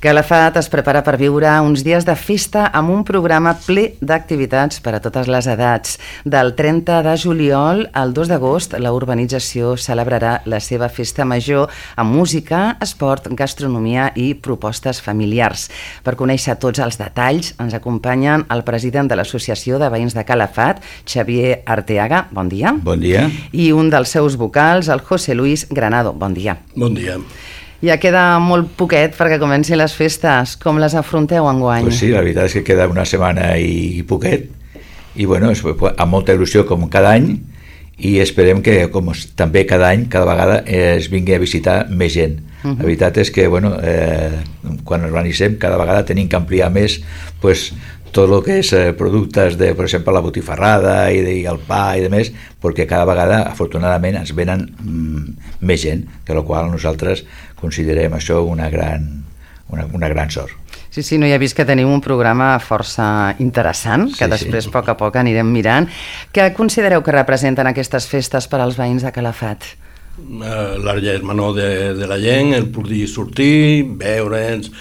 Calafat es prepara per viure uns dies de festa amb un programa ple d'activitats per a totes les edats. Del 30 de juliol al 2 d'agost, la urbanització celebrarà la seva festa major amb música, esport, gastronomia i propostes familiars. Per conèixer tots els detalls, ens acompanyen el president de l'Associació de Veïns de Calafat, Xavier Arteaga, bon dia. Bon dia. I un dels seus vocals, el José Luis Granado, bon dia. Bon dia. Ja queda molt poquet perquè comencin les festes. Com les afronteu enguany? Pues sí, la veritat és que queda una setmana i poquet, i bueno, amb molta il·lusió com cada any, i esperem que com també cada any, cada vegada es vingui a visitar més gent. La veritat és que bueno, quan organitzem cada vegada tenim que ampliar més pues, tot el que és productes de, per exemple, la botifarrada i el pa i demés, perquè cada vegada, afortunadament, ens venen més gent, que la qual nosaltres considerem això una gran sort. Sí, no, ja he vist que teniu un programa força interessant, que després a poc a poc anirem mirant. Què considereu que representen aquestes festes per als veïns de Calafat? L'argent menor de la gent, el poder sortir, veure'ns.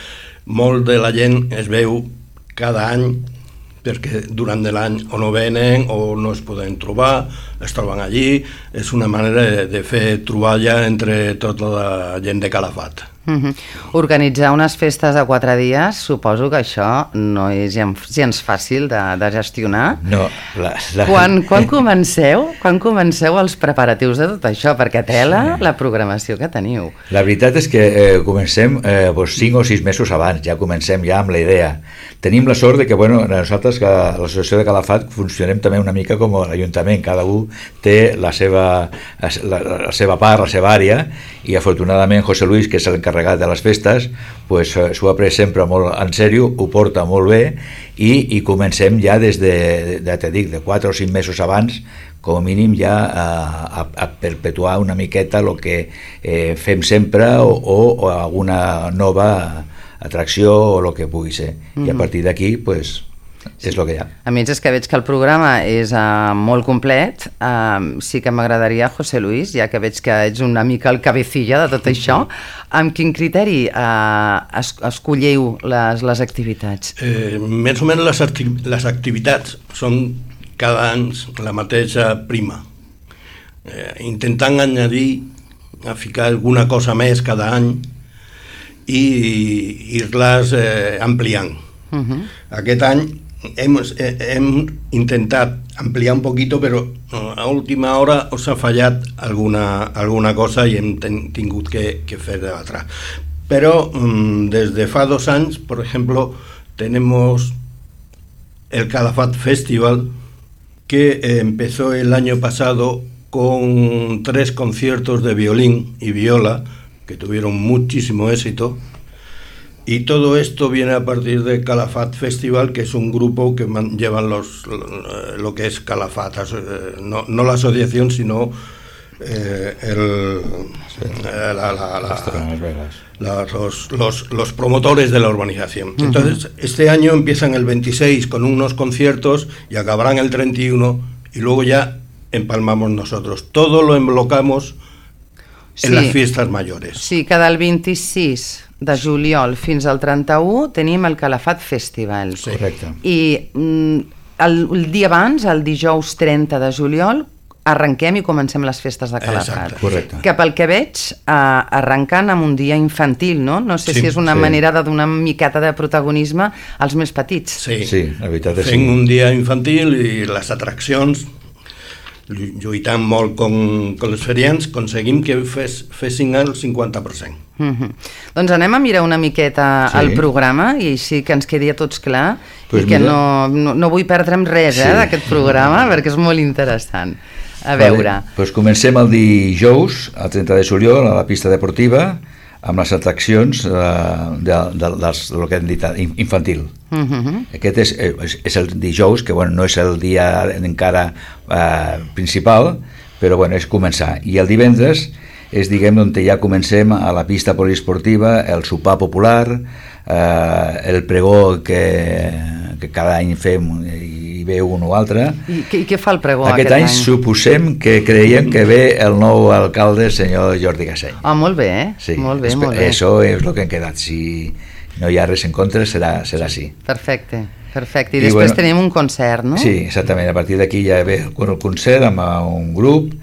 Molt de la gent es veu cada any, perquè durant l'any o no venen o no es poden trobar, es troben allí. És una manera de fer troballa entre tota la gent de Calafat. Organitzar unes festes de 4 dies, suposo que això no és gens fàcil de gestionar. No. Quan comenceu els preparatius de tot això? Perquè tela la programació que teniu. La veritat és que comencem 5 o 6 mesos abans, ja comencem ja amb la idea. Tenim la sort de que nosaltres, que l'Associació de Calafat, funcionem també una mica com l'Ajuntament, cada un té la seva part, la seva àrea, i afortunadament José Luis, que és l'encarregat de les festes, s'ho ha pres sempre molt en sèrio, ho porta molt bé, i comencem ja des de 4 o 5 mesos abans, com a mínim ja a perpetuar una miqueta el que fem sempre o alguna nova atracció o el que pugui ser. I a partir d'aquí, és el que hi ha. A més, és que veig que el programa és molt complet. Sí que m'agradaria, José Luis, ja que veig que ets una mica el cabecilla de tot això, amb quin criteri escolleu les activitats? Més o menys les activitats són cada any la mateixa prima. Intentant a ficar alguna cosa més cada any i ir-les ampliant. Aquest any hem intentat ampliar un poquito, però a última hora us ha fallat alguna cosa i hem tingut que fer debatre. Pero desde fa 2 anys, por ejemplo, tenemos el Calafat Festival, que empezó el año pasado con 3 conciertos de violín y viola, que tuvieron muchísimo éxito. Y todo esto viene a partir de Calafat Festival, que es un grupo que llevan lo que es Calafat, no la asociación, sino los promotores de la urbanización. Entonces, este año empiezan el 26 con unos conciertos y acabarán el 31 y luego ya empalmamos nosotros. Todo lo emblocamos en las fiestas mayores. Sí, que del 26 de juliol fins al 31 tenim el Calafat Festival. Sí. Correcte. I el dia abans, el dijous 30 de juliol, arrenquem i comencem les festes de Calafat. Correcte. Que pel que veig, arrencant amb un dia infantil, no? No sé si és una manera de donar una miqueta de protagonisme als més petits. Sí, la veritat és fent un dia infantil i les atraccions, lluitant molt con els ferians, aconseguim que fessin el 50%. Doncs anem a mirar una miqueta el programa i així que ens quedi a tots clar i que no vull perdre'm res d'aquest programa perquè és molt interessant. A veure. Comencem el dijous, el 30 de juliol, a la pista deportiva, amb les atraccions del que hem dit infantil. Aquest és el dijous, que no és el dia encara principal, però és començar. I el divendres és, on ja comencem a la pista poliesportiva, el sopar popular, el pregó que cada any fem i ve un o altre. I què fa el pregó aquest any? Suposem que creiem que ve el nou alcalde, el senyor Jordi Gasseny. Molt bé, sí, molt bé. Això és el que hem quedat. Si no hi ha res en contra, serà sí. Perfecte. I després tenim un concert, no? Sí, exactament, a partir d'aquí ja ve el concert amb un grup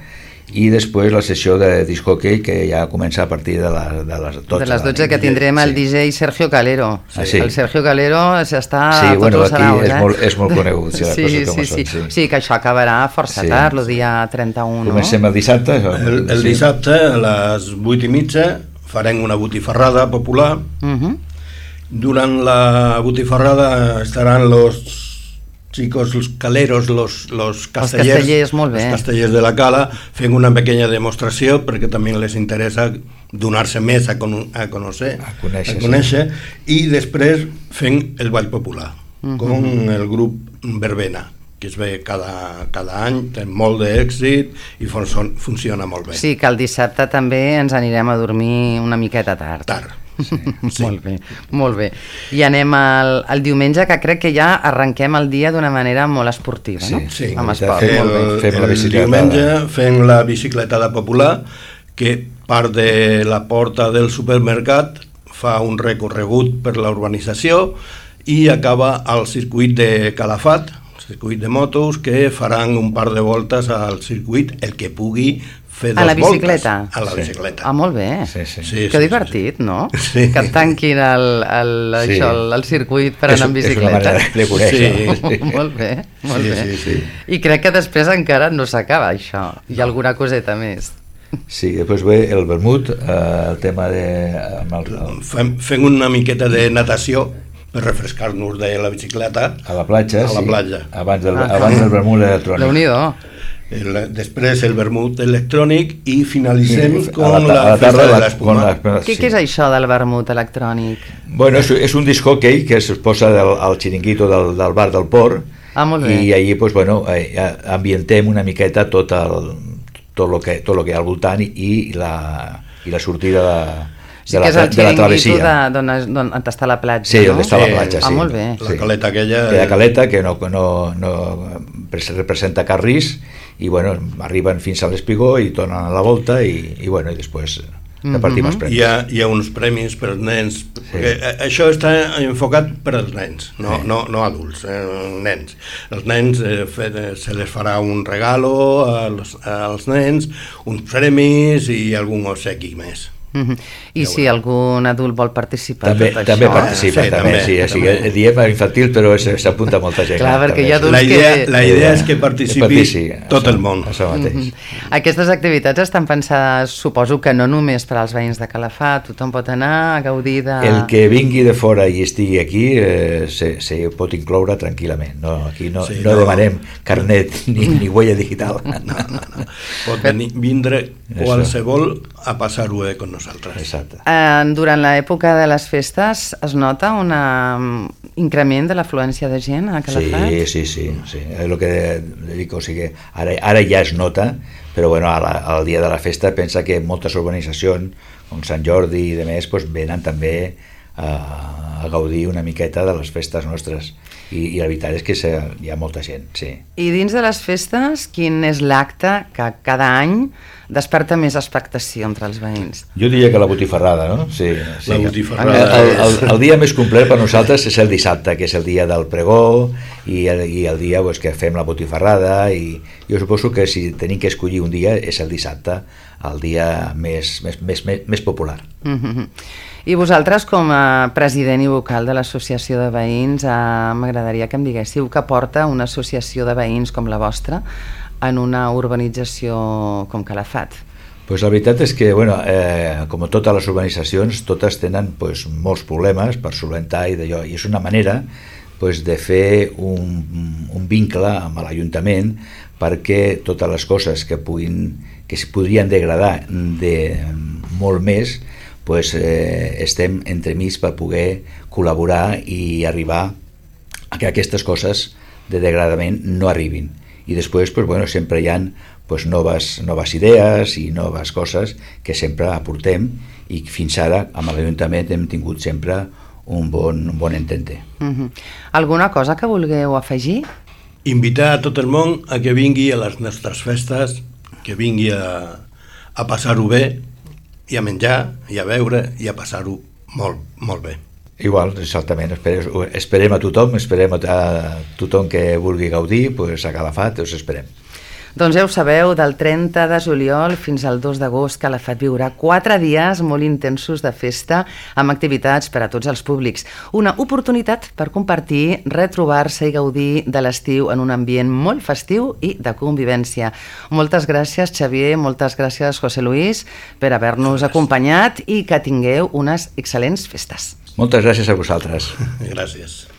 i després la sessió de disc hockey que ja comença a partir de les 12. De les 12 que tindrem el DJ Sergio Calero. El Sergio Calero està a tots els saraus. És molt conegut. Sí, que això acabarà força tard, el dia 31. Comencem el dissabte. El dissabte a les 8:30 farem una botifarrada popular. Durant la botifarrada estaran los chicos, los caleros, los castellers, molt bé. Els castellers de la Cala, fent una pequeña demostració perquè també les interessa donar-se més a conèixer, i després fent el ball popular con el grup Verbena, que es ve cada any, té molt d'èxit i funciona molt bé. Sí, que el dissabte també ens anirem a dormir una miqueta tard. Sí. Molt bé. I anem al diumenge, que crec que ja arrenquem el dia d'una manera molt esportiva, no? Sí. Amb esport. El diumenge fem la bicicletada popular, que part de la porta del supermercat fa un recorregut per la urbanització i acaba al circuit de Calafat, circuit de motos, que faran un par de voltes al circuit, el que pugui fer a la bicicleta? A la bicicleta. Ah, molt bé. Sí, que divertit, no? Sí. Que et tanquin el circuit per anar amb bicicleta. És una manera de conèixer. Molt bé. Sí. I crec que després encara no s'acaba això. Hi ha alguna coseta més. Sí, després ve el vermut, el tema de... Fem una miqueta de natació per refrescar-nos de la bicicleta a la platja, abans del vermut electrònic. Déu-n'hi-do. Després el vermut electrònic i finalitzem amb la festa de l'espuma. Què és això del vermut electrònic? Bueno, és un disc hockey que es posa al xiringuito del bar del Port, i allí ambientem una miqueta tot el que hi ha al voltant i la sortida de la travessia. D'on està la platja, sí, on està la platja, sí. Molt bé. La caleta aquella... La caleta que no representa cap risc, i arriben fins a l'espigó i tornen a la volta i després repartim els premis. Hi ha uns premis per als nens, perquè això està enfocat per als nens, no adults, nens. Els nens se les farà un regalo als nens, uns premis i algun obsequi més. I si algun adult vol participar també participa, sí, diem infantil, però s'apunta molta gent. Clar, perquè hi ha adults la idea és que participi tot el món. Aquestes activitats estan pensades, suposo que no només per als veïns de Calafat, tothom pot anar a gaudir de... El que vingui de fora i estigui aquí se pot incloure tranquil·lament. Aquí no demanem carnet ni huella digital. No. Pot vindre qualsevol a passar-ho con nosaltres. Exacte. Durant l'època de les festes es nota un increment de l'afluència de gent a Calafat? Sí. El que dic, o sigui, ara ja es nota, però al dia de la festa pensa que moltes urbanitzacions, com Sant Jordi i demés, venen també a gaudir una miqueta de les festes nostres. I la veritat és que hi ha molta gent, sí. I dins de les festes, quin és l'acte que cada any desperta més expectació entre els veïns? Jo diria que la botifarrada, no? Sí. La botifarrada. El dia més complet per nosaltres és el dissabte, que és el dia del pregó i el dia que fem la botifarrada, i jo suposo que si tenim que escollir un dia és el dissabte, el dia més popular. I vosaltres, com a president i vocal de l'associació de veïns, m'agradaria que em diguéssiu què porta una associació de veïns com la vostra en una urbanització com Calafat. Pues la veritat és que, com totes les urbanitzacions, totes tenen molts problemes per solventar i és una manera de fer un vincle amb l'Ajuntament perquè totes les coses que es podrien degradar molt més, estem entremig per poder col·laborar i arribar a que aquestes coses de degradament no arribin. I després sempre hi ha noves idees i noves coses que sempre aportem, i fins ara amb l'Ajuntament hem tingut sempre un bon entente. Alguna cosa que vulgueu afegir? Invitar a tot el món a que vingui a les nostres festes, que vingui a passar-ho bé, i a menjar, i a beure, i a passar-ho molt, molt bé. Igual, exactament, esperem a tothom, esperem a tothom que vulgui gaudir, pues a Calafat us esperem. Doncs ja ho sabeu, del 30 de juliol fins al 2 d'agost Calafat viurà 4 dies molt intensos de festa amb activitats per a tots els públics. Una oportunitat per compartir, retrobar-se i gaudir de l'estiu en un ambient molt festiu i de convivència. Moltes gràcies, Xavier, moltes gràcies, José Luis, per haver-nos acompanyat i que tingueu unes excel·lents festes. Moltes gràcies a vosaltres. Gràcies.